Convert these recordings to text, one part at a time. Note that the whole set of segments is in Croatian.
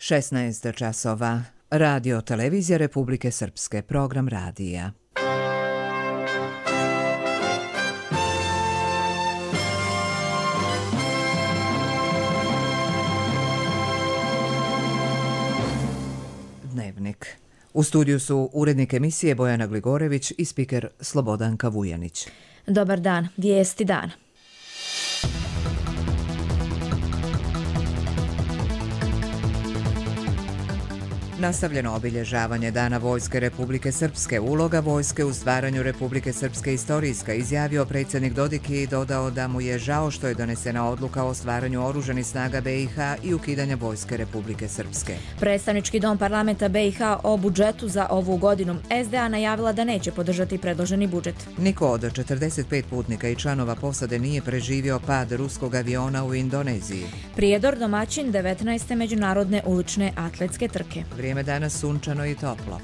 16 časova. Radio Televizija Republike Srpske, program radija. Dnevnik. U studiju su urednik emisije Bojana Gligorević i spiker Slobodanka Vujanić. Dobar dan, vijesti dana. Nastavljeno obilježavanje Dana Vojske Republike Srpske. Uloga vojske u stvaranju Republike Srpske istorijska, izjavio predsjednik Dodik i dodao da mu je žao što je donesena odluka o stvaranju oružanih snaga BiH i ukidanja Vojske Republike Srpske. Predstavnički dom parlamenta BiH o budžetu za ovu godinu. SDA najavila da neće podržati predloženi budžet. Niko od 45 putnika i članova posade nije preživio pad ruskog aviona u Indoneziji. Prijedor domaćin 19. međunarodne ulične atletske trke. Vrijeme danas sunčano i toplo.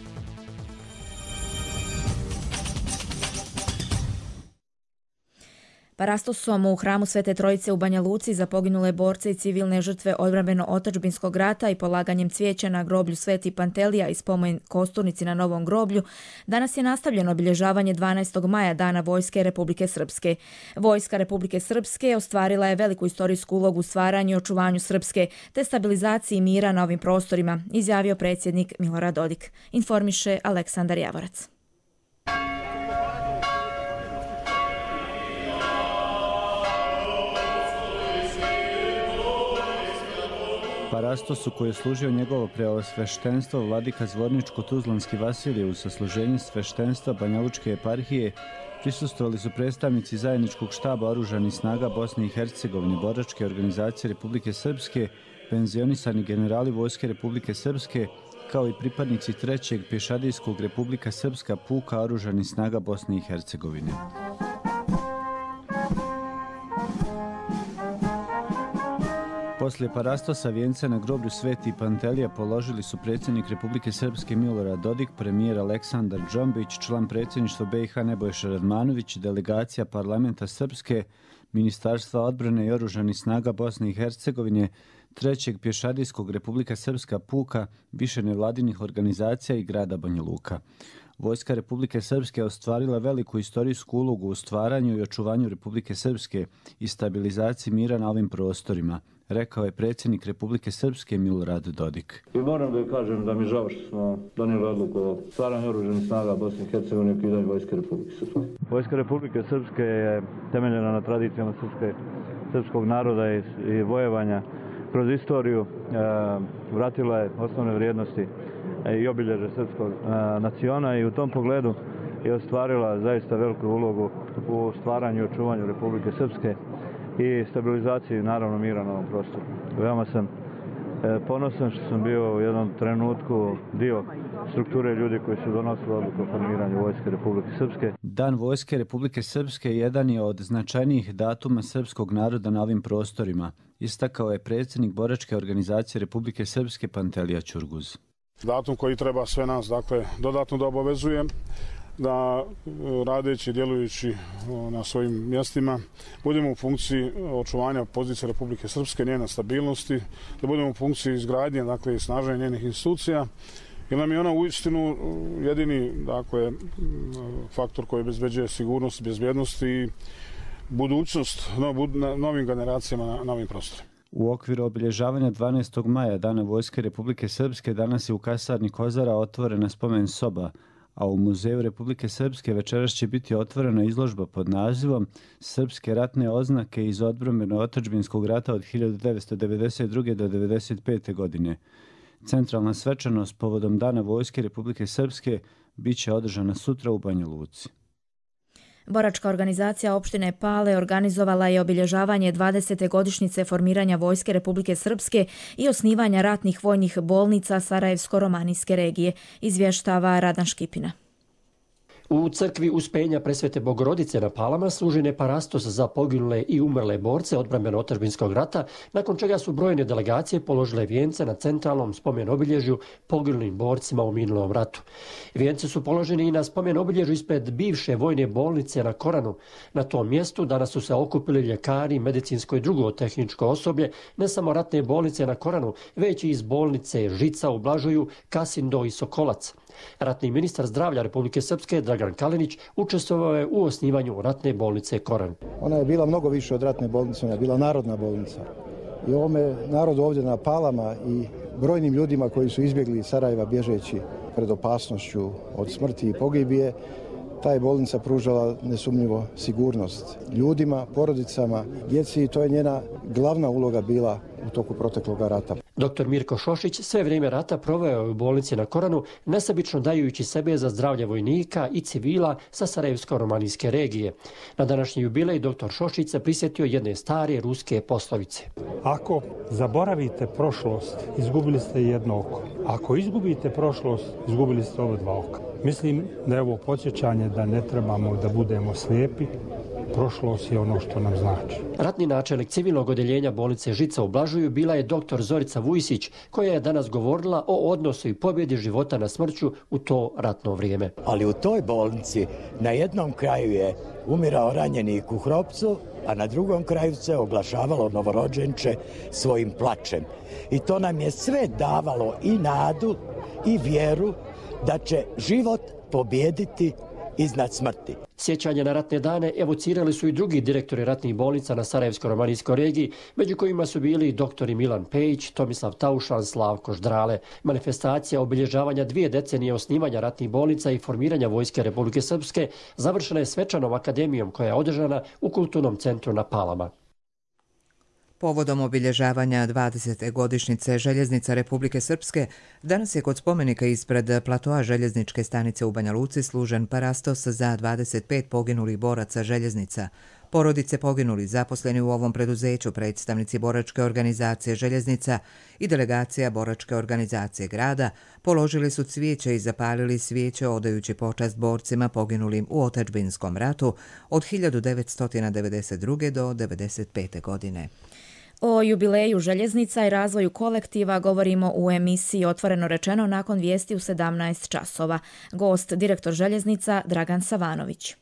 Parastosom u hramu Svete Trojice u Banja Luci za poginule borce i civilne žrtve odbrambeno-otadžbinskog rata i polaganjem cvijeća na groblju Sveti Pantelija i spomen kosturnici na Novom groblju, danas je nastavljeno obilježavanje 12. maja Dana Vojske Republike Srpske. Vojska Republike Srpske ostvarila je veliku istorijsku ulogu u stvaranju i očuvanju Srpske te stabilizaciji mira na ovim prostorima, izjavio predsjednik Milorad Dodik, informiše Aleksandar Javorac. Parastosu koji je služio njegovo preosveštenstvo vladika Zvorničko-Tuzlanski Vasilije u sasluženju sveštenstva Banjalučke eparhije prisustvovali su predstavnici zajedničkog štaba oružanih snaga Bosne i Hercegovine, boračke organizacije Republike Srpske, penzionisani generali Vojske Republike Srpske, kao i pripadnici 3. pješadijskog Republika Srpska puka oružanih snaga Bosne i Hercegovine. Poslije parastosa vijence na groblju Sveti Pantelija položili su predsjednik Republike Srpske Milorad Dodik, premijer Aleksandar Džombić, član predsjedništva BiH Nebojša Radmanović, delegacija parlamenta Srpske, Ministarstva odbrane i oružanih snaga Bosne i Hercegovine, 3. pješadijskog Republika Srpska puka, više nevladinih organizacija i grada Banja Luka. Vojska Republike Srpske ostvarila veliku istorijsku ulogu u stvaranju i očuvanju Republike Srpske i stabilizaciji mira na ovim prostorima, rekao je predsjednik Republike Srpske Milorad Dodik. I moram da kažem da mi žao što smo donijeli odluku o stvaranju oružanih snaga Bosne i Hercegovine i ukidanju Vojske Republike Srpske. Vojska Republike Srpske je temeljena na tradicijama srpskog naroda i vojevanja kroz istoriju, vratila je osnovne vrijednosti i obilježe srpskog naciona i u tom pogledu je ostvarila zaista veliku ulogu u stvaranju i očuvanju Republike Srpske i stabilizaciji naravno mira na ovom prostoru. Veoma sam ponosan što sam bio u jednom trenutku dio strukture ljudi koji su donosili odluku o formiranju Vojske Republike Srpske. Dan Vojske Republike Srpske jedan je od značajnijih datuma srpskog naroda na ovim prostorima, istakao je predsjednik boračke organizacije Republike Srpske Pantelija Ćurguz. Datum koji treba sve nas, dodatno da obavezuje da radeći i djelujući na svojim mjestima budemo u funkciji očuvanja pozicije Republike Srpske, njene stabilnosti, da budemo u funkciji izgradnje, i snaženja njenih institucija, jer nam je ona uistinu jedini, faktor koji obezbeđuje sigurnost, bezbjednost i budućnost novim generacijama na ovim prostorima. U okviru obilježavanja 12. maja Dana Vojske Republike Srpske danas je u kasarni Kozara otvorena spomen soba, a u Muzeju Republike Srpske večeras će biti otvorena izložba pod nazivom Srpske ratne oznake iz odbrambeno-otadžbinskog rata od 1992. do 1995. godine. Centralna svečanost povodom Dana Vojske Republike Srpske bit će održana sutra u Banja Luci. Boračka organizacija opštine Pale organizovala je obilježavanje 20. godišnjice formiranja Vojske Republike Srpske i osnivanja ratnih vojnih bolnica Sarajevsko-Romanijske regije, izvještava Radan Škipina. U crkvi Uspenja Presvete Bogorodice na Palama služi parastos za poginule i umrle borce odbrambeno-otadžbinskog rata, nakon čega su brojne delegacije položile vijence na centralnom spomen obilježju poginulim borcima u minulom ratu. Vijence su položeni i na spomen obilježju ispred bivše vojne bolnice na Koranu. Na tom mjestu danas su se okupili ljekari, medicinsko i drugo tehničko osoblje, ne samo ratne bolnice na Koranu, već i iz bolnice Žica u Blažuju, Kasindo i Sokolac. Ratni ministar zdravlja Republike Srpske Dragan Kalinić učestvovao je u osnivanju ratne bolnice Koran. Ona je bila mnogo više od ratne bolnice, ona je bila narodna bolnica. I ovome narodu ovdje na Palama i brojnim ljudima koji su izbjegli iz Sarajeva bježeći pred opasnošću od smrti i pogibije, ta je bolnica pružala nesumnjivo sigurnost ljudima, porodicama, djeci i to je njena glavna uloga bila u toku proteklog rata. Dr. Mirko Šošić sve vrijeme rata proveo je u bolnici na Koranu, nesebično dajući sebe za zdravlje vojnika i civila sa Sarajevsko-romanijske regije. Na današnji jubilej dr. Šošić se prisjetio jedne stare ruske poslovice. Ako zaboravite prošlost, izgubili ste jedno oko. Ako izgubite prošlost, izgubili ste oba dva oka. Mislim da je ovo podsjećanje da ne trebamo da budemo slijepi. Prošlost je ono što nam znači. Ratni načelnik civilnog odjeljenja bolnice Žica u Blažuju bila je dr. Zorica Vujsić, koja je danas govorila o odnosu i pobjedi života na smrću u to ratno vrijeme. Ali u toj bolnici na jednom kraju je umirao ranjenik u Hropcu, a na drugom kraju se oglašavalo novorođenče svojim plačem. I to nam je sve davalo i nadu i vjeru da će život pobijediti iznad smrti. Sjećanje na ratne dane evocirali su i drugi direktori ratnih bolnica na Sarajevsko-romanijskoj regiji, među kojima su bili doktori Milan Pejić, Tomislav Taušan, Slavko Ždrale. Manifestacija obilježavanja 2 decenije osnivanja ratnih bolnica i formiranja Vojske Republike Srpske završena je svečanom akademijom koja je održana u Kulturnom centru na Palama. Povodom obilježavanja 20. godišnjice Željeznica Republike Srpske, danas je kod spomenika ispred platoa željezničke stanice u Banja Luci služen parastos za 25 poginulih boraca željeznica. Porodice poginuli zaposleni u ovom preduzeću, predstavnici boračke organizacije Željeznica i delegacija boračke organizacije grada položili su cvijeće i zapalili svijeće odajući počast borcima poginulim u otadžbinskom ratu od 1992. do 1995. godine. O jubileju željeznica i razvoju kolektiva govorimo u emisiji Otvoreno rečeno nakon vijesti u 17 časova. Gost, direktor željeznica Dragan Savanović.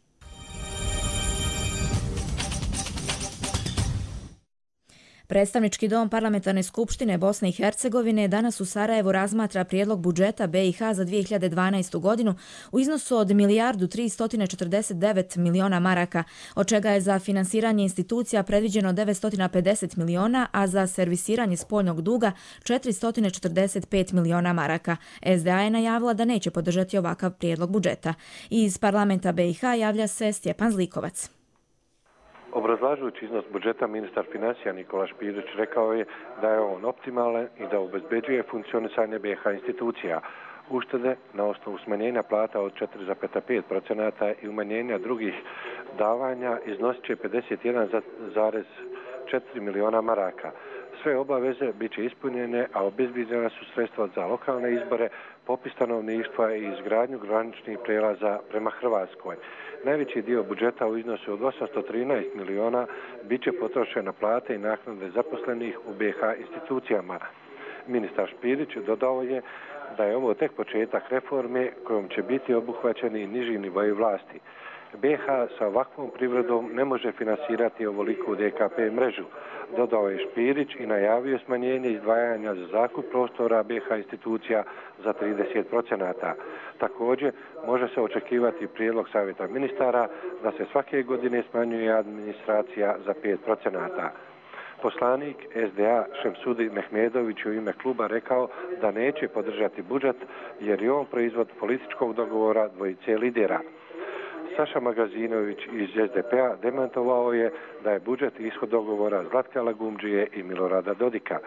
Predstavnički dom Parlamentarne skupštine Bosne i Hercegovine danas u Sarajevu razmatra prijedlog budžeta BiH za 2012. godinu u iznosu od 1.349 miliona maraka, od čega je za finansiranje institucija predviđeno 950 miliona, a za servisiranje spoljnog duga 445 miliona maraka. SDA je najavila da neće podržati ovakav prijedlog budžeta. Iz parlamenta BiH javlja se Stjepan Zlikovac. Obrazlažujući iznos budžeta, ministar financija Nikola Špirić rekao je da je on optimalan i da obezbeđuje funkcionisanje BiH institucija. Uštede na osnovu smanjenja plata od 4,5% i umanjenja drugih davanja iznosit će 51,4 miliona maraka. Sve obaveze bit će ispunjene, a obezbeđena su sredstva za lokalne izbore, popis stanovništva i izgradnju graničnih prelaza prema Hrvatskoj. Najveći dio budžeta u iznosu od 813 miliona bit će potrošen na plate i naknade zaposlenih u BiH institucijama. Ministar Špirić dodao je da je ovo tek početak reforme kojom će biti obuhvaćeni niži nivoji vlasti. BiH sa ovakvom privredom ne može finansirati ovoliku DKP mrežu, dodao je Špirić i najavio smanjenje izdvajanja za zakup prostora BiH institucija za 30%. Također, može se očekivati prijedlog Savjeta ministara da se svake godine smanjuje administracija za 5%. Poslanik SDA Šemsudi Mehmedović u ime kluba rekao da neće podržati budžet jer je on proizvod političkog dogovora dvojice lidera. Saša Magazinović iz SDP-a demantovao je da je budžet ishod dogovora Zlatka Lagumdžije i Milorada Dodika.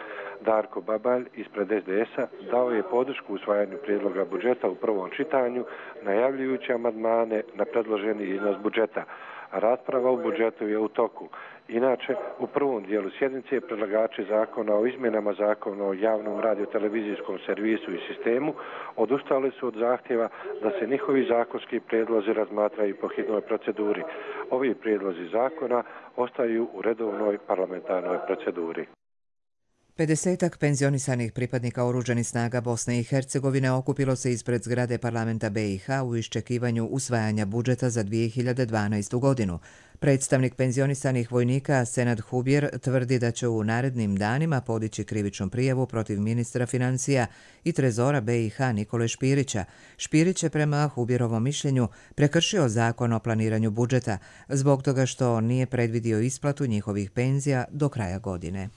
Darko Babalj ispred SDS-a dao je podršku usvajanju prijedloga budžeta u prvom čitanju, najavljujući amandmane na predloženi iznos budžeta. Rasprava u budžetu je u toku. Inače, u prvom dijelu sjednice predlagači zakona o izmjenama zakona o javnom radiotelevizijskom servisu i sistemu odustali su od zahtjeva da se njihovi zakonski prijedlozi razmatraju po hitnoj proceduri. Ovi prijedlozi zakona ostaju u redovnoj parlamentarnoj proceduri. 50-ak penzionisanih pripadnika oružanih snaga Bosne i Hercegovine okupilo se ispred zgrade parlamenta BiH u iščekivanju usvajanja budžeta za 2012. godinu. Predstavnik penzionisanih vojnika Senad Hubjer tvrdi da će u narednim danima podići krivičnu prijavu protiv ministra financija i trezora BiH Nikole Špirića. Špirić je prema Hubjerovom mišljenju prekršio zakon o planiranju budžeta zbog toga što nije predvidio isplatu njihovih penzija do kraja godine.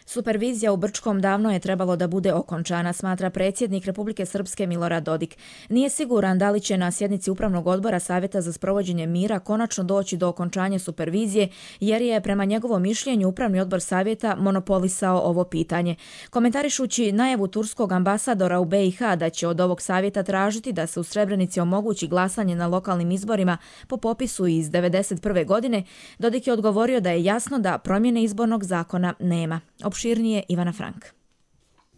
Supervizija u Brčkom davno je trebalo da bude okončana, smatra predsjednik Republike Srpske Milorad Dodik. Nije siguran da li će na sjednici Upravnog odbora Savjeta za sprovođenje mira konačno doći do okončanja supervizije, jer je prema njegovom mišljenju Upravni odbor Savjeta monopolisao ovo pitanje. Komentarišući najavu turskog ambasadora u BiH da će od ovog savjeta tražiti da se u Srebrenici omogući glasanje na lokalnim izborima po popisu iz 1991. godine, Dodik je odgovorio da je jasno da promjene izbornog zakona nema. Opširnije Ivana Frank.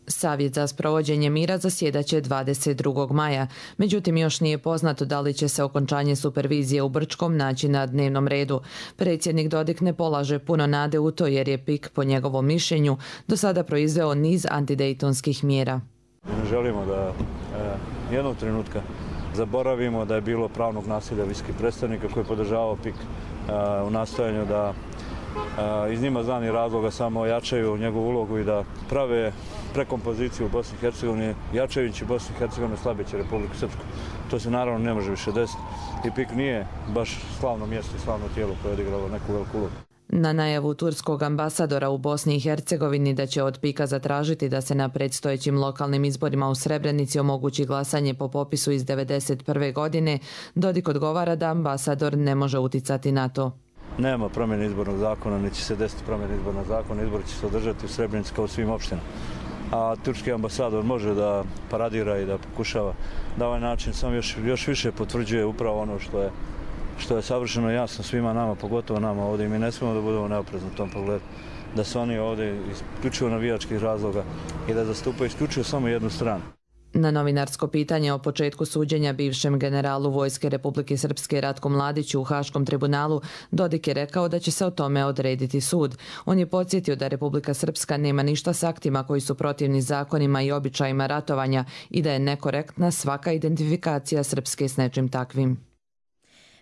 Savjet za sprovođenje mira zasjedaće 22. maja. Međutim, još nije poznato da li će se okončanje supervizije u Brčkom naći na dnevnom redu. Predsjednik Dodik ne polaže puno nade u to jer je PIK, po njegovom mišljenju, do sada proizveo niz antidejtonskih mjera. Ne želimo da jednog trenutka zaboravimo da je bilo pravnog nasilja visokih predstavnika koji je podržavao PIK u nastojanju da iz njima znanih razloga samo ojačaju njegovu ulogu i da prave prekompoziciju u Bosni i Hercegovini, jačajući Bosnu i Hercegovinu slabeći Republiku Srpsku. To se naravno ne može više desiti i PIK nije baš slavno mjesto i slavno tijelo koje je odigralo neku veliku ulogu. Na najavu turskog ambasadora u Bosni i Hercegovini da će od PIK-a zatražiti da se na predstojećim lokalnim izborima u Srebrenici omogući glasanje po popisu iz 1991. godine, Dodik odgovara da ambasador ne može uticati na to. Nema promjene izbornog zakona, neće se desiti promjene izbornog zakona, izbori će se održati u Srebrenici kao u svim opštinama. A turski ambasador može da paradira i da pokušava da ovaj način samo još više potvrđuje upravo ono što je savršeno jasno svima nama, pogotovo nama ovdje, i mi ne smijemo da budemo neoprezni u tom pogledu. Da su oni ovdje isključivo navijačkih razloga i da zastupaju isključivo samo jednu stranu. Na novinarsko pitanje o početku suđenja bivšem generalu Vojske Republike Srpske Ratku Mladiću u Haškom tribunalu, Dodik je rekao da će se o tome odrediti sud. On je podsjetio da Republika Srpska nema ništa s aktima koji su protivni zakonima i običajima ratovanja i da je nekorektna svaka identifikacija Srpske s nečim takvim.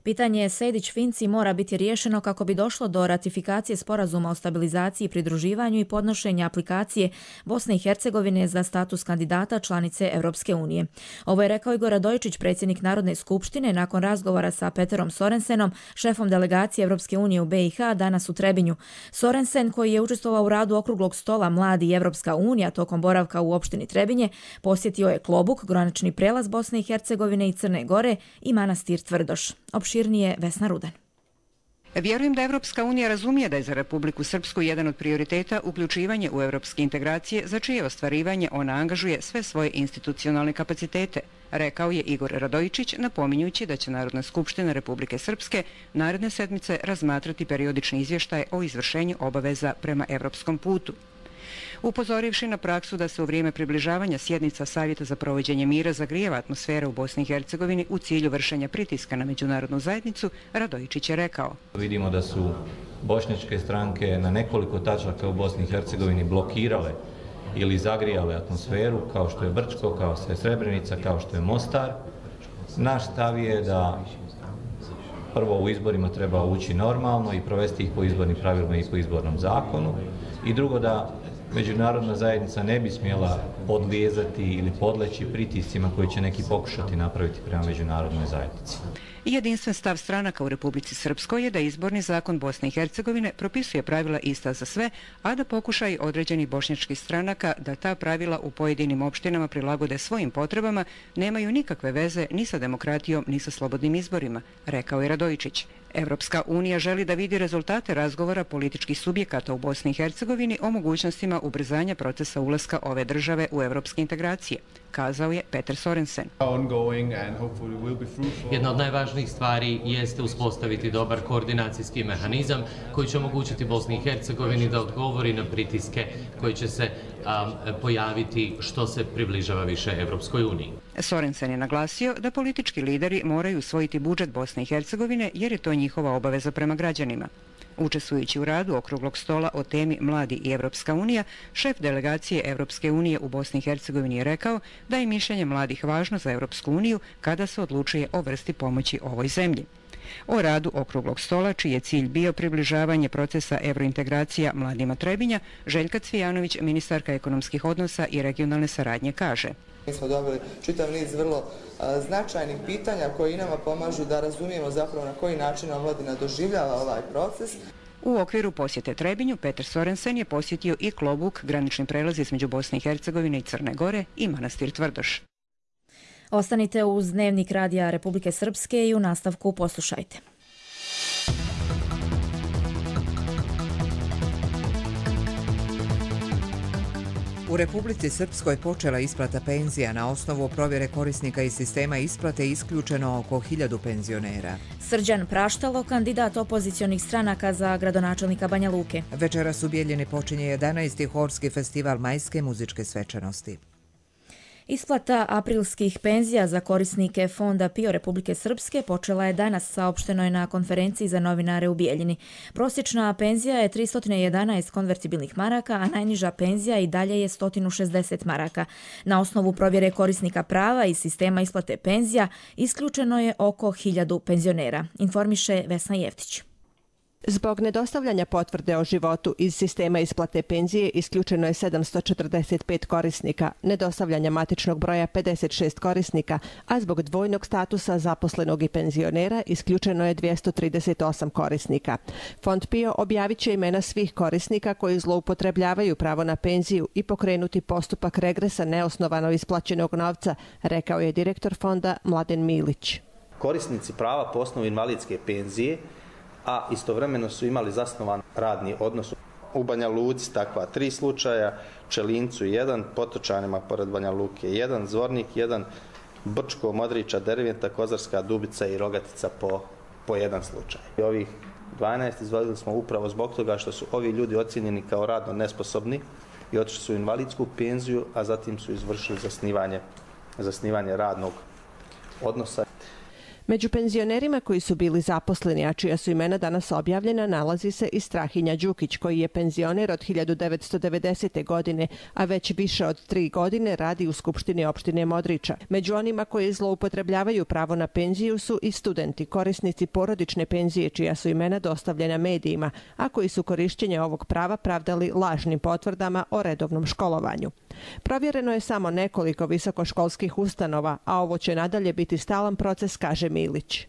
Pitanje Sejdić-Finci mora biti riješeno kako bi došlo do ratifikacije sporazuma o stabilizaciji i pridruživanju i podnošenja aplikacije Bosne i Hercegovine za status kandidata članice Europske unije. Ovo je rekao Igor Radojičić, predsjednik Narodne skupštine, nakon razgovora sa Peterom Sorensenom, šefom delegacije Europske unije u BiH, danas u Trebinju. Sorensen, koji je učestvovao u radu okruglog stola Mladi i Europska unija tokom boravka u opštini Trebinje, posjetio je Klobuk, granični prelaz Bosne i Hercegovine i Crne Gore i manastir Tvrdoš. Opširnije Vesna Rudan. Vjerujem da Evropska unija razumije da je za Republiku Srpsku jedan od prioriteta uključivanje u evropske integracije, za čije ostvarivanje ona angažuje sve svoje institucionalne kapacitete, rekao je Igor Radojičić, napominjući da će Narodna skupština Republike Srpske naredne sedmice razmatrati periodični izvještaj o izvršenju obaveza prema evropskom putu. Upozorivši na praksu da se u vrijeme približavanja sjednica Savjeta za provođenje mira zagrijeva atmosfera u Bosni i Hercegovini u cilju vršenja pritiska na međunarodnu zajednicu, Radojičić je rekao. Vidimo da su bošnjačke stranke na nekoliko tačaka u Bosni i Hercegovini blokirale ili zagrijale atmosferu, kao što je Brčko, kao što je Srebrenica, kao što je Mostar. Naš stav je da prvo u izborima treba ući normalno i provesti ih po izbornim pravilima i po izbornom zakonu, i drugo da međunarodna zajednica ne bi smjela podlijezati ili podleći pritiscima koji će neki pokušati napraviti prema međunarodnoj zajednici. Jedinstven stav stranaka u Republici Srpskoj je da izborni zakon Bosne i Hercegovine propisuje pravila ista za sve, a da pokušaj određenih bošnjačkih stranaka da ta pravila u pojedinim opštinama prilagode svojim potrebama nemaju nikakve veze ni sa demokratijom ni sa slobodnim izborima, rekao je Radojičić. Evropska unija želi da vidi rezultate razgovora političkih subjekata u Bosni i Hercegovini o mogućnostima ubrzanja procesa ulaska ove države u evropske integracije, kazao je Peter Sorensen. Jedna od najvažnijih stvari jeste uspostaviti dobar koordinacijski mehanizam koji će omogućiti Bosni i Hercegovini da odgovori na pritiske koji će se pojaviti što se približava više Evropskoj uniji. Sorensen je naglasio da politički lideri moraju usvojiti budžet Bosne i Hercegovine jer je to njihova obaveza prema građanima. Učestvujući u radu okruglog stola o temi Mladi i Evropska unija, šef delegacije Evropske unije u Bosni i Hercegovini je rekao da je mišljenje mladih važno za Evropsku uniju kada se odlučuje o vrsti pomoći ovoj zemlji. O radu okruglog stola, čiji je cilj bio približavanje procesa evrointegracija mladima Trebinja, Željka Cvijanović, ministarka ekonomskih odnosa i regionalne saradnje, kaže: Mi smo dobili čitav niz vrlo značajnih pitanja koji nama pomažu da razumijemo zapravo na koji način omladina doživljava ovaj proces. U okviru posjete Trebinju, Peter Sorensen je posjetio i Klobuk, granični prelaz između Bosne i Hercegovine i Crne Gore, i manastir Tvrdoš. Ostanite uz Dnevnik Radija Republike Srpske i u nastavku poslušajte. U Republici Srpskoj počela isplata penzija. Na osnovu provjere korisnika iz sistema isplate isključeno oko 1000 penzionera. Srđan Praštalo, kandidat opozicionih stranaka za gradonačelnika Banja Luke. Večeras u Bijeljini počinje 11. horski festival majske muzičke svečanosti. Isplata aprilskih penzija za korisnike Fonda PIO Republike Srpske počela je danas, saopšteno je na konferenciji za novinare u Bijeljini. Prosječna penzija je 311 konvertibilnih maraka, a najniža penzija i dalje je 160 maraka. Na osnovu provjere korisnika prava i sistema isplate penzija isključeno je oko 1000 penzionera, informiše Vesna Jeftić. Zbog nedostavljanja potvrde o životu iz sistema isplate penzije isključeno je 745 korisnika, nedostavljanja matičnog broja 56 korisnika, a zbog dvojnog statusa zaposlenog i penzionera isključeno je 238 korisnika. Fond PIO objavit će imena svih korisnika koji zloupotrebljavaju pravo na penziju i pokrenuti postupak regresa neosnovano isplaćenog novca, rekao je direktor fonda Mladen Milić. Korisnici prava po osnovu invalidske penzije, a istovremeno su imali zasnovan radni odnos u Banja Luci, takva 3 slučaja, Čelincu 1, Potočanima pored Banja Luke 1, Zvornik 1, Brčko, Modriča, Derventa, Kozarska, Dubica i Rogatica po 1 slučaj. I ovih 12 izvadili smo upravo zbog toga što su ovi ljudi ocijenjeni kao radno nesposobni i otišli su u invalidsku penziju, a zatim su izvršili zasnivanje radnog odnosa. Među penzionerima koji su bili zaposleni, a čija su imena danas objavljena, nalazi se i Strahinja Đukić, koji je penzioner od 1990. godine, a već više od 3 godine radi u Skupštini opštine Modriča. Među onima koji zloupotrebljavaju pravo na penziju su i studenti, korisnici porodične penzije, čija su imena dostavljena medijima, a koji su korišćenje ovog prava pravdali lažnim potvrdama o redovnom školovanju. Provjereno je samo nekoliko visokoškolskih ustanova, a ovo će nadalje biti stalan proces, kaže Milić.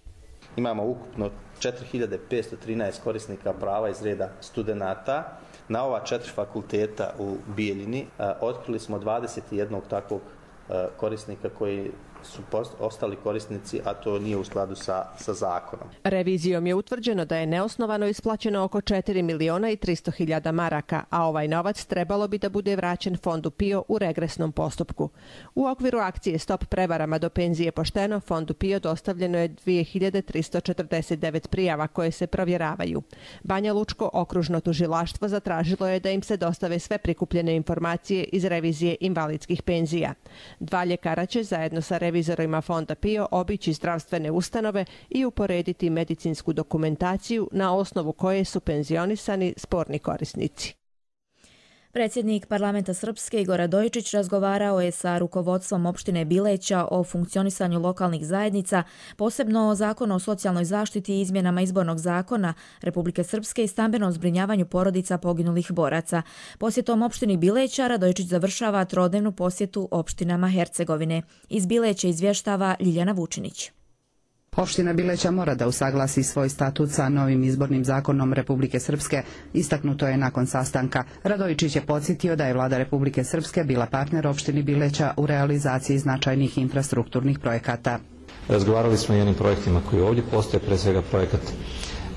Imamo ukupno 4513 korisnika prava iz reda studenata. Na ova 4 fakulteta u Bijeljini otkrili smo 21 takvog korisnika koji su ostali korisnici, a to nije u skladu sa zakonom. Revizijom je utvrđeno da je neosnovano isplaćeno oko 4.300.000 maraka, a ovaj novac trebalo bi da bude vraćen Fondu PIO u regresnom postupku. U okviru akcije Stop prevarama do penzije pošteno, Fondu PIO dostavljeno je 2349 prijava koje se provjeravaju. Banja Lučko okružno tužilaštvo zatražilo je da im se dostave sve prikupljene informacije iz revizije invalidskih penzija. 2 ljekara će zajedno sa revizorima Fonda PIO obići zdravstvene ustanove i uporediti medicinsku dokumentaciju na osnovu koje su penzionisani sporni korisnici. Predsjednik parlamenta Srpske Igor Radojičić razgovarao je sa rukovodstvom opštine Bileća o funkcionisanju lokalnih zajednica, posebno o zakonu o socijalnoj zaštiti i izmjenama izbornog zakona Republike Srpske i stambenom zbrinjavanju porodica poginulih boraca. Posjetom opštini Bileća Radojičić završava 3-dnevnu posjetu opštinama Hercegovine. Iz Bileća izvještava Ljiljana Vučinić. Opština Bileća mora da usaglasi svoj statut sa novim izbornim zakonom Republike Srpske, istaknuto je nakon sastanka. Radojičić je podsjetio da je vlada Republike Srpske bila partner opštini Bileća u realizaciji značajnih infrastrukturnih projekata. Razgovarali smo o jednim projektima koji ovdje postoje, pre svega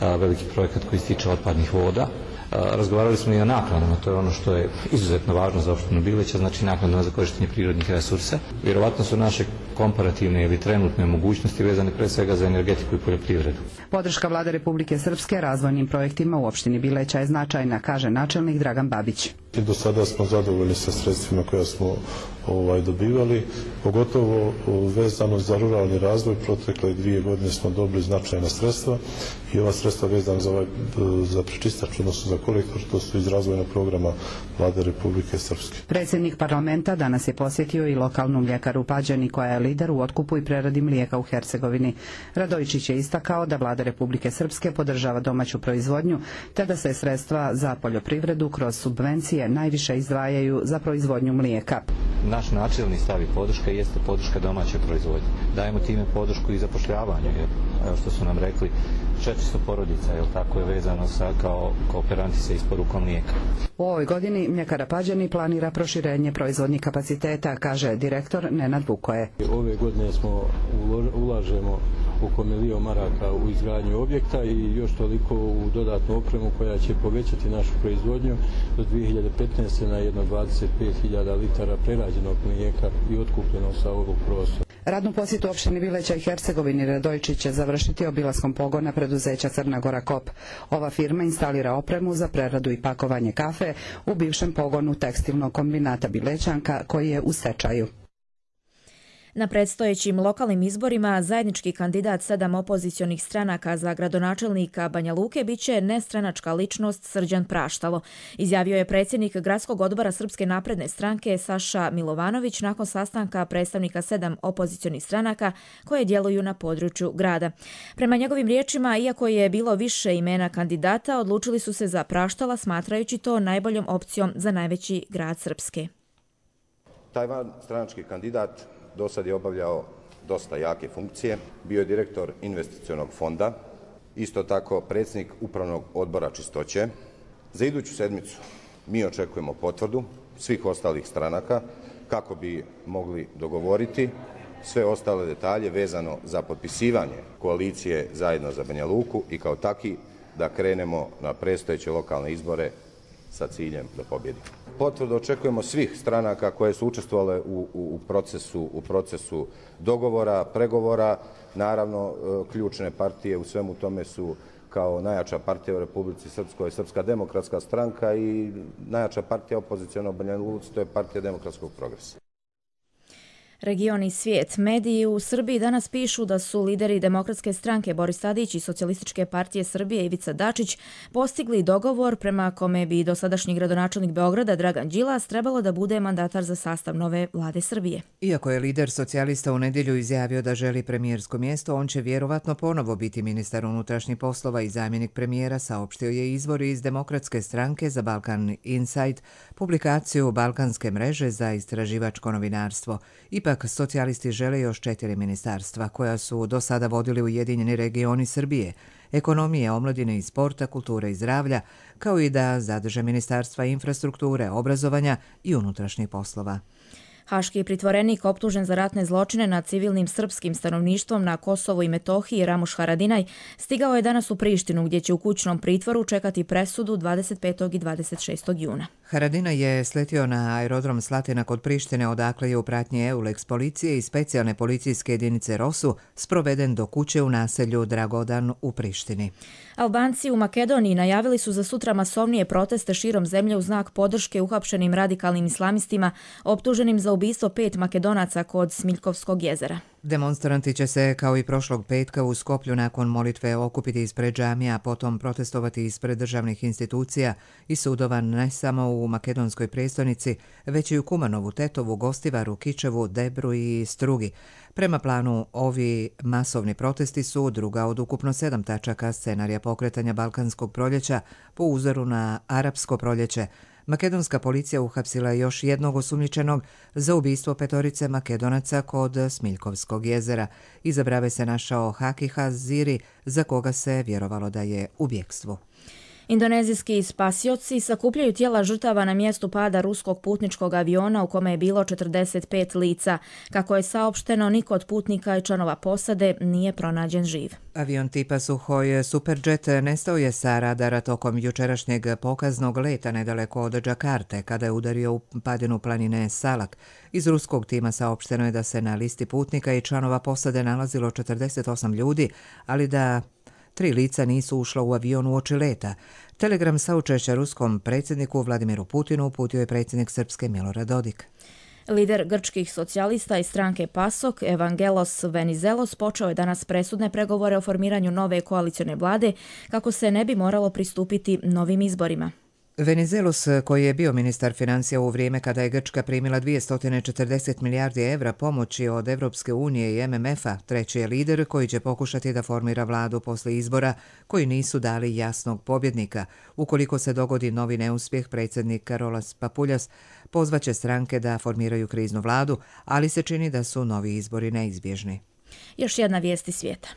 veliki projekat koji se tiče otpadnih voda. Razgovarali smo i o naknadama, to je ono što je izuzetno važno za opštinu Bileća, znači naknadama za korištenje prirodnih resursa. Vjerovatno su naše komparativne ili trenutne mogućnosti vezane pre svega za energetiku i poljoprivredu. Podrška Vlade Republike Srpske razvojnim projektima u opštini Bileća je značajna, kaže načelnik Dragan Babić. Do sada smo zadovoljni sa sredstvima koja smo dobivali, pogotovo vezano za ruralni razvoj. Protekle 2 godine smo dobili značajna sredstva i ova sredstva vezana za prečistač, odnosno za kolektor, to su iz razvojnog programa Vlade Republike Srpske. Predsjednik parlamenta danas je posjetio i lokalnu mljekaru u Pađani, koja je lider u otkupu i preradi mlijeka u Hercegovini. Radojičić je istakao da Vlada Republike Srpske podržava domaću proizvodnju, te da se sredstva za poljoprivredu kroz subvencije najviše izdvajaju za proizvodnju mlijeka. Naš načelni stav i podrška jeste podrška domaće proizvodnje. Dajemo time podršku i zapošljavanju, jer što su nam rekli, 400 porodica, tako je vezano kao kooperanti sa isporukom mlijeka. U ovoj godini mljekara Pađani planira proširenje proizvodnih kapaciteta, kaže direktor Nenad Vukoje. Ove godine ulažemo oko 1 milion maraka u izgradnju objekta i još toliko u dodatnu opremu koja će povećati našu proizvodnju do 2015. na jedno 25.000 litara prerađenog mlijeka i otkupljeno sa ovog prostora. Radnu posjetu opštini Bileća i Hercegovini Radojičić će završiti obilaskom pogona preduzeća Crna Gora Kop. Ova firma instalira opremu za preradu i pakovanje kafe u bivšem pogonu tekstilnog kombinata Bilećanka, koji je u stečaju. Na predstojećim lokalnim izborima zajednički kandidat 7 opozicionih stranaka za gradonačelnika Banja Luke biće nestranačka ličnost Srđan Praštalo, izjavio je predsjednik Gradskog odbora Srpske napredne stranke Saša Milovanović nakon sastanka predstavnika 7 opozicionih stranaka koje djeluju na području grada. Prema njegovim riječima, iako je bilo više imena kandidata, odlučili su se za Praštala, smatrajući to najboljom opcijom za najveći grad Srpske. Taj stranački kandidat do sad je obavljao dosta jake funkcije, bio je direktor investicionog fonda, isto tako predsjednik upravnog odbora čistoće. Za iduću sedmicu mi očekujemo potvrdu svih ostalih stranaka kako bi mogli dogovoriti sve ostale detalje vezano za potpisivanje koalicije Zajedno za Banja Luku i kao taki da krenemo na predstojeće lokalne izbore sa ciljem da pobjedimo. Potvrdu očekujemo svih stranaka koje su učestvovale u procesu dogovora, pregovora. Naravno, ključne partije u svemu tome su kao najjača partija u Republici Srpskoj Srpska demokratska stranka i najjača partija opoziciono Banja Luci, to je Partija demokratskog progresa. Region i svijet. Mediji u Srbiji danas pišu da su lideri Demokratske stranke Boris Tadić i Socijalističke partije Srbije Ivica Dačić postigli dogovor prema kome bi dosadašnji gradonačelnik Beograda Dragan Đilas trebalo da bude mandatar za sastav nove vlade Srbije. Iako je lider socijalista u nedjelju izjavio da želi premijersko mjesto, on će vjerovatno ponovo biti ministar unutrašnjih poslova i zamjenik premijera, saopštio je izvor iz Demokratske stranke za Balkan Insight, publikaciju Balkanske mreže za istraživačko novinarstvo. Ipak, socijalisti žele još 4 ministarstva koja su do sada vodili Ujedinjeni regioni Srbije, ekonomije, omladine i sporta, kulture i zdravlja, kao i da zadrže ministarstva infrastrukture, obrazovanja i unutrašnjih poslova. Haški pritvorenik optužen za ratne zločine nad civilnim srpskim stanovništvom na Kosovu i Metohiji Ramuš Haradinaj stigao je danas u Prištinu, gdje će u kućnom pritvoru čekati presudu 25. i 26. juna. Haradinaj je sletio na aerodrom Slatina kod Prištine, odakle je u pratnji EULEX policije i specijalne policijske jedinice ROSU sproveden do kuće u naselju Dragodan u Prištini. Albanci u Makedoniji najavili su za sutra masovnije proteste širom zemlje u znak podrške uhapšenim radikalnim islamistima optuženim za ubistvo 5 Makedonaca kod Smiljkovskog jezera. Demonstranti će se, kao i prošlog petka u Skoplju, nakon molitve okupiti ispred džamija, a potom protestovati ispred državnih institucija i sudova ne samo u makedonskoj prijestolnici, već i u Kumanovu, Tetovu, Gostivaru, Kičevu, Debru i Strugi. Prema planu, ovi masovni protesti su druga od ukupno 7 tačaka scenarija pokretanja Balkanskog proljeća po uzoru na Arapsko proljeće. Makedonska policija uhapsila još jednog osumnjičenog za ubistvo 5 Makedonaca kod Smiljkovskog jezera. Iza brave se našao Haki Haziri, za koga se vjerovalo da je u bjekstvu. Indonezijski spasioci sakupljaju tijela žrtava na mjestu pada ruskog putničkog aviona u kome je bilo 45 lica. Kako je saopšteno, niko od putnika i članova posade nije pronađen živ. Avion tipa Suhoj Superjet nestao je sa radara tokom jučerašnjeg pokaznog leta nedaleko od Džakarte, kada je udario u padinu planine Salak. Iz ruskog tima saopšteno je da se na listi putnika i članova posade nalazilo 48 ljudi, ali da 3 lica nisu ušla u avion uoči leta. Telegram saučešća ruskom predsjedniku Vladimiru Putinu uputio je predsjednik Srpske Milorad Dodik. Lider grčkih socijalista i stranke PASOK, Evangelos Venizelos, počeo je danas presudne pregovore o formiranju nove koalicione vlade kako se ne bi moralo pristupiti novim izborima. Venizelos, koji je bio ministar financija u vrijeme kada je Grčka primila 240 milijardi evra pomoći od Evropske unije i MMF-a, treći je lider koji će pokušati da formira vladu posle izbora koji nisu dali jasnog pobjednika. Ukoliko se dogodi novi neuspjeh, predsjednik Karolas Papuljas pozvaće stranke da formiraju kriznu vladu, ali se čini da su novi izbori neizbježni. Još jedna vijest iz svijeta.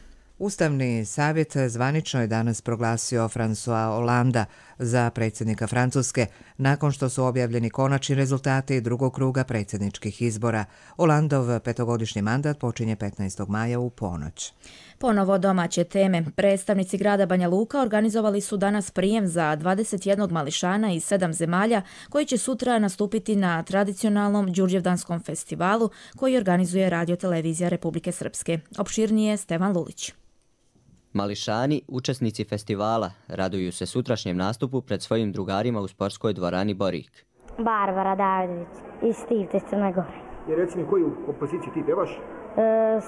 Ustavni savjet zvanično je danas proglasio François Hollanda za predsjednika Francuske nakon što su objavljeni konačni rezultati drugog kruga predsjedničkih izbora. Hollandov petogodišnji mandat počinje 15. maja u ponoć. Ponovo domaće teme. Predstavnici grada Banja Luka organizovali su danas prijem za 21 mališana iz 7 zemalja koji će sutra nastupiti na tradicionalnom Đurđevdanskom festivalu koji organizuje Radio-televizija Republike Srpske. Opširnije Stevan Lulić. Mališani, učesnici festivala, raduju se sutrašnjem nastupu pred svojim drugarima u sportskoj dvorani Borik. Barbara Davidović iz Stivte, Crne Gore. I reci mi, koju kompoziciju ti pevaš?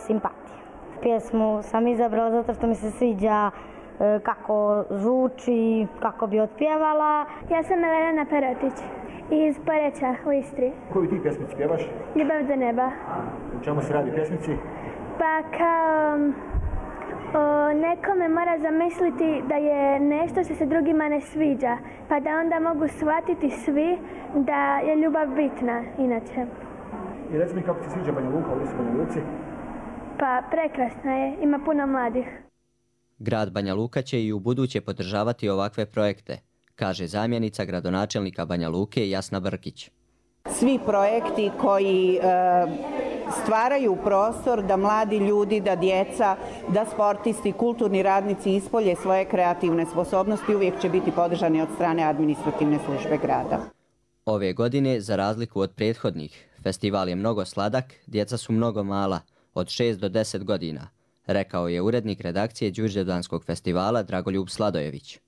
Simpatija. Pjesmu sam izabrala zato što mi se sviđa kako zvuči, kako bi otpjevala. Ja sam Elena Perotić iz Poreča u Istri. Koju ti pjesmici pevaš? Ljubav do neba. U čemu se radi pjesmici? Pa kao nekome mora zamisliti da je nešto što se drugima ne sviđa, pa da onda mogu shvatiti svi da je ljubav bitna inače. I reci mi kako ti sviđa Banja Luka, ovdje su Banja Luci? Pa prekrasna je, ima puno mladih. Grad Banja Luka će i u buduće podržavati ovakve projekte, kaže zamjenica gradonačelnika Banja Luke Jasna Brkić. Svi projekti koji stvaraju prostor da mladi ljudi, da djeca, da sportisti, kulturni radnici ispolje svoje kreativne sposobnosti uvijek će biti podržani od strane administrativne službe grada. Ove godine, za razliku od prethodnih, festival je mnogo sladak, djeca su mnogo mala, od 6 do 10 godina, rekao je urednik redakcije Đurđevdanskog festivala Dragoljub Sladojević.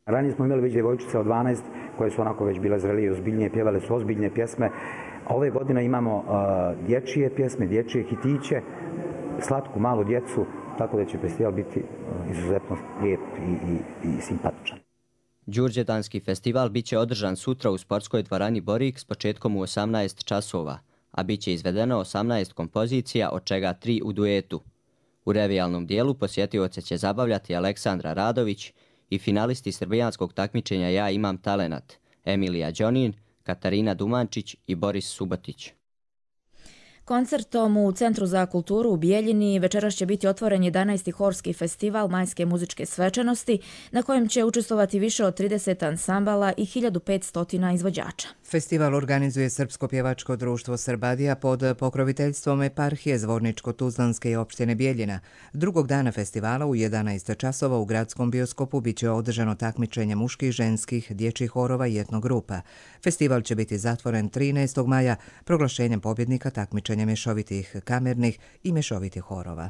Ranije smo imali već djevojčice od 12 koje su onako već bile zrelije i ozbiljnije, pjevale su ozbiljne pjesme. Ove godine imamo dječje pjesme, dječje hitiće, slatku malu djecu, tako da će festival biti izuzetno lijep i simpatičan. Đurđevdanski festival bit će održan sutra u sportskoj dvorani Borik s početkom u 18 časova, a bit će izvedeno 18 kompozicija, od čega 3 u duetu. U revijalnom dijelu posjetioce će zabavljati Aleksandra Radović i finalisti srbijanskog takmičenja Ja imam talenat, Emilija Đonin, Katarina Dumančić i Boris Subotić. Koncertom u Centru za kulturu u Bijeljini večeras će biti otvoren 11. horski festival majske muzičke svečanosti na kojem će učestvovati više od 30 ansambala i 1500 izvođača. Festival organizuje Srpsko pjevačko društvo Srbadija pod pokroviteljstvom eparhije Zvorničko-Tuzlanske i opštine Bijeljina. Drugog dana festivala u 11 časova u gradskom bioskopu bit će održano takmičenje muških, ženskih, dječjih horova i etnogrupa. Festival će biti zatvoren 13. maja proglašenjem pobjednika takmičenja mješovitih kamernih i mješovitih horova.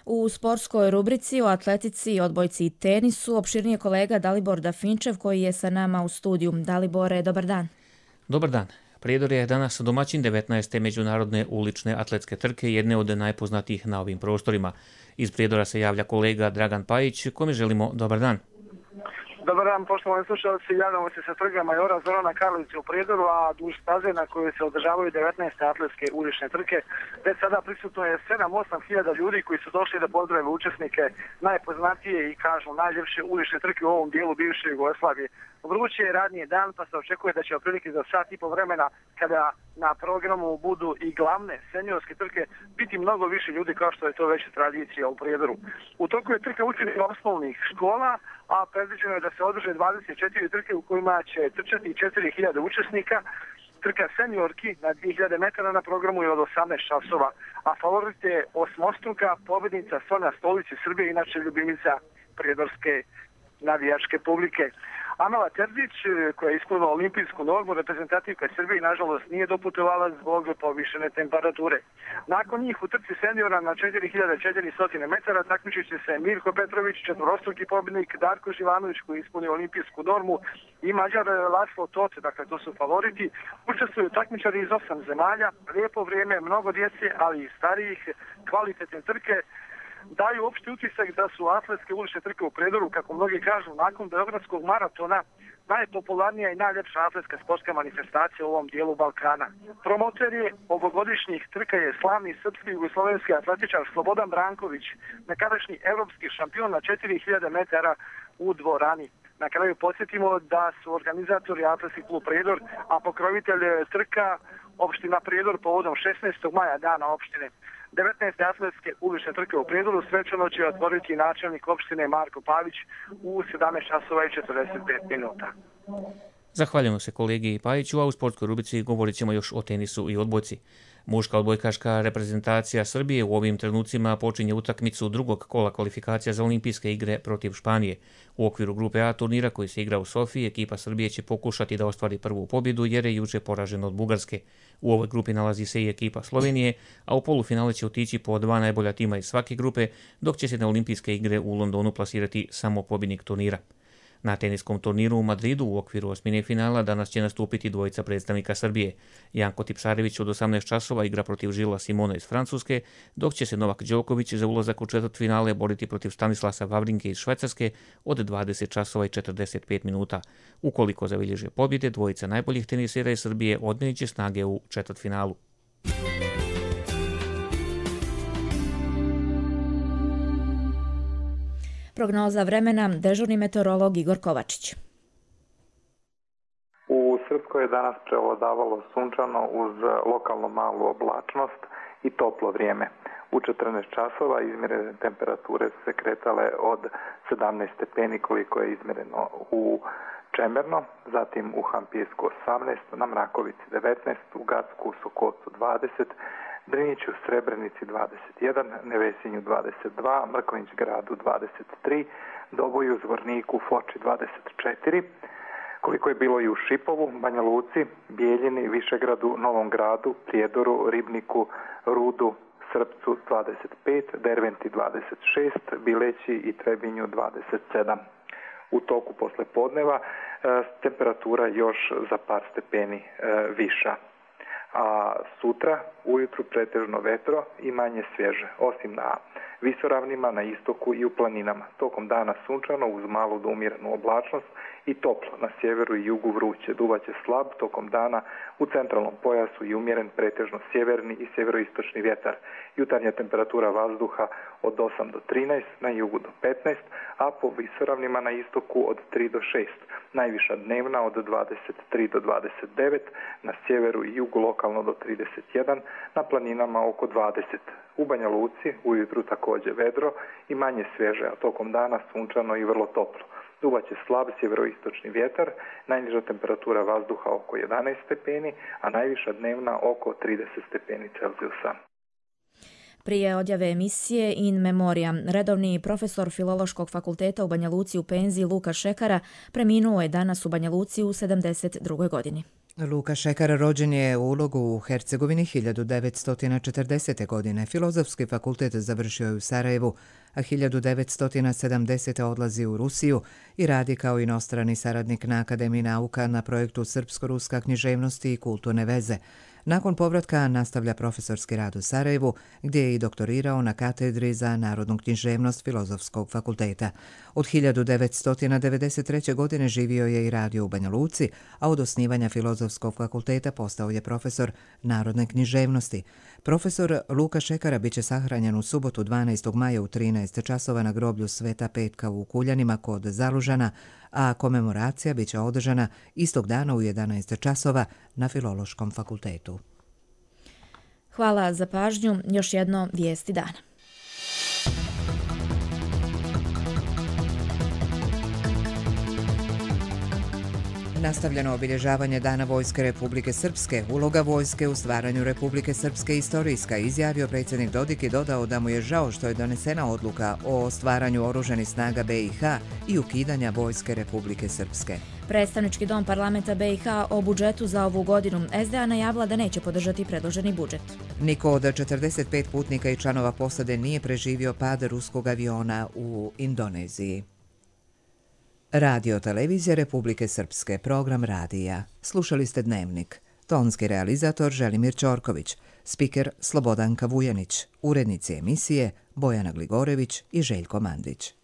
U sportskoj rubrici o atletici, odbojci i tenisu opširnije kolega Dalibor Dafinčev koji je sa nama u studiju. Dalibore, dobar dan. Dobar dan. Prijedor je danas domaćin 19. međunarodne ulične atletske trke, jedne od najpoznatijih na ovim prostorima. Iz Prijedora se javlja kolega Dragan Pajić, kome želimo dobar dan. Dobar dan, poštovani slušalci, javljamo se sa trga Majora Zorana Karlovića u Prijedoru, a duž staze na kojoj se održavaju 19. atletske ulične trke. Već sada prisutno je 7-8 hiljada ljudi koji su došli da pozdrave učesnike najpoznatije i kažu najljepše ulične trke u ovom dijelu bivše Jugoslavije. Vruće je radni dan, pa se očekuje da će otprilike za sat i po vremena, kada na programu budu i glavne seniorske trke, biti mnogo više ljudi kao što je to već tradicija u Prijedoru. U toku je trka učenika osnovnih škola, a predviđeno je da se održe 24 trke u kojima će trčati 4000 učesnika. Trka seniorki na 2000 metara na programu je od 18 časova, a favorit je osmostruka pobjednica Sonja Stolić iz Srbije, inače ljubimica prijedorske navijačke publike. Amela Terzić, koja je ispunila olimpijsku normu, reprezentativka Srbije, nažalost nije doputovala zbog povišene temperature. Nakon njih u trci seniora na 4400 metara takmičit će se Mirko Petrović, četvorostruki pobjednik, Darko Živanović koji je ispunio olimpijsku normu i Mađar Laslo Toce, dakle to su favoriti. Učestvuju takmičari iz 8 zemalja, lijepo vrijeme, mnogo djece, ali i starijih, kvalitetne trke. Daju opšti utisak da su atletske ulične trke u Prijedoru, kako mnogi kažu, nakon Beogradskog maratona najpopularnija i najljepša atletska sportska manifestacija u ovom dijelu Balkana. Promoter je ovogodišnjih trka je slavni srpski jugoslovenski atletičar Slobodan Branković, nekadašnji evropski šampion na 4000 metara u dvorani. Na kraju podsjetimo da su organizatori Atletski klub Prijedor, a pokrovitelj trka opština Prijedor povodom 16. maja, dana opštine. 19. atletske ulične trke u Prijedoru svečano će otvoriti načelnik opštine Marko Pavić u 17 časova i 45 minuta. Zahvaljujemo se kolegi Pajiću, a u sportskoj rubrici govorit ćemo još o tenisu i odbojci. Muška odbojkaška reprezentacija Srbije u ovim trenucima počinje utakmicu drugog kola kvalifikacija za olimpijske igre protiv Španije. U okviru grupe A turnira koji se igra u Sofiji, ekipa Srbije će pokušati da ostvari prvu pobjedu jer je juče poražena od Bugarske. U ovoj grupi nalazi se i ekipa Slovenije, a u polufinale će otići po 2 najbolja tima iz svake grupe, dok će se na olimpijske igre u Londonu plasirati samo pobjednik turnira. Na teniskom turniru u Madridu u okviru osmine finala danas će nastupiti dvojica predstavnika Srbije. Janko Tipsarević od 18 časova igra protiv Žila Simona iz Francuske, dok će se Novak Đoković za ulazak u četvrtfinale boriti protiv Stanislasa Wawrinke iz Švajcarske od 20 časova i 45 minuta. Ukoliko zabilježe pobjede, dvojica najboljih tenisera iz Srbije odmjerit će snage u četvrtfinalu. Prognoza vremena, dežurni meteorolog Igor Kovačić. U Srpskoj je danas prevladavalo sunčano uz lokalno malu oblačnost i toplo vrijeme. U 14 časova izmjerene temperature su se kretale od 17 stepeni koliko je izmjereno u Čemerno, zatim u Hampijsku 18, na Mrakovici 19, u Gacku, Sokocu 20, Driniću, Srebrenici 21, Nevesinju 22, Mrkonjić gradu 23, Doboju, Zvorniku, Foči 24, koliko je bilo i u Šipovu, Banja Luci, Bijeljini, Višegradu, Novom gradu, Prijedoru, Ribniku, Rudu, Srpcu 25, Derventi 26, Bileći i Trebinju 27. U toku posle podneva temperatura još za par stepeni viša. A sutra ujutru pretežno vetro i manje svježe, osim na visoravnima, na istoku i u planinama. Tokom dana sunčano uz malu do umjerenu oblačnost i toplo. Na sjeveru i jugu vruće, duvaće slab tokom dana u centralnom pojasu i umjeren pretežno sjeverni i sjeveroistočni vjetar. Jutarnja temperatura vazduha od 8 do 13, na jugu do 15, a po visoravnima na istoku od 3 do 6. Najviša dnevna od 23 do 29, na sjeveru i jugu lokalno do 31, na planinama oko 20. U Banja Luci ujutru također vedro i manje svježe, a tokom dana sunčano i vrlo toplo. Duvaće slab sjeveroistočni vjetar, najniža temperatura vazduha oko 11 stepeni, a najviša dnevna oko 30 stepeni Celzijusa. Prije odjave emisije In Memoria, redovni profesor Filološkog fakulteta u Banja Luci u penziji Luka Šekara preminuo je danas u Banja Luci u 72. godini. Luka Šekara rođen je u Ulogu u Hercegovini 1940. godine. Filozofski fakultet završio je u Sarajevu, a 1970. odlazi u Rusiju i radi kao inostrani saradnik na Akademiji nauka na projektu Srpsko-ruska književnosti i kulturne veze. Nakon povratka nastavlja profesorski rad u Sarajevu, gdje je i doktorirao na katedri za narodnu književnost Filozofskog fakulteta. Od 1993. godine živio je i radio u Banja Luci, a od osnivanja Filozofskog fakulteta postao je profesor narodne književnosti. Profesor Luka Šekara biće sahranjen u subotu 12. maja u 13 časova na groblju Sveta Petka u Kuljanima kod Zalužana, a komemoracija biće održana istog dana u 11 časova na Filološkom fakultetu. Hvala za pažnju. Još jedno vijesti dana. Nastavljeno obilježavanje Dana Vojske Republike Srpske, uloga vojske u stvaranju Republike Srpske istorijska, izjavio predsjednik Dodik i dodao da mu je žao što je donesena odluka o stvaranju oružanih snaga BiH i ukidanja Vojske Republike Srpske. Predstavnički dom parlamenta BiH o budžetu za ovu godinu SDA najavila da neće podržati predloženi budžet. Niko od 45 putnika i članova posade nije preživio pad ruskog aviona u Indoneziji. Radio televizija Republike Srpske, program radija. Slušali ste Dnevnik. Tonski realizator Želimir Ćorković, spiker Slobodanka Vujanić, urednici emisije Bojana Gligorević i Željko Mandić.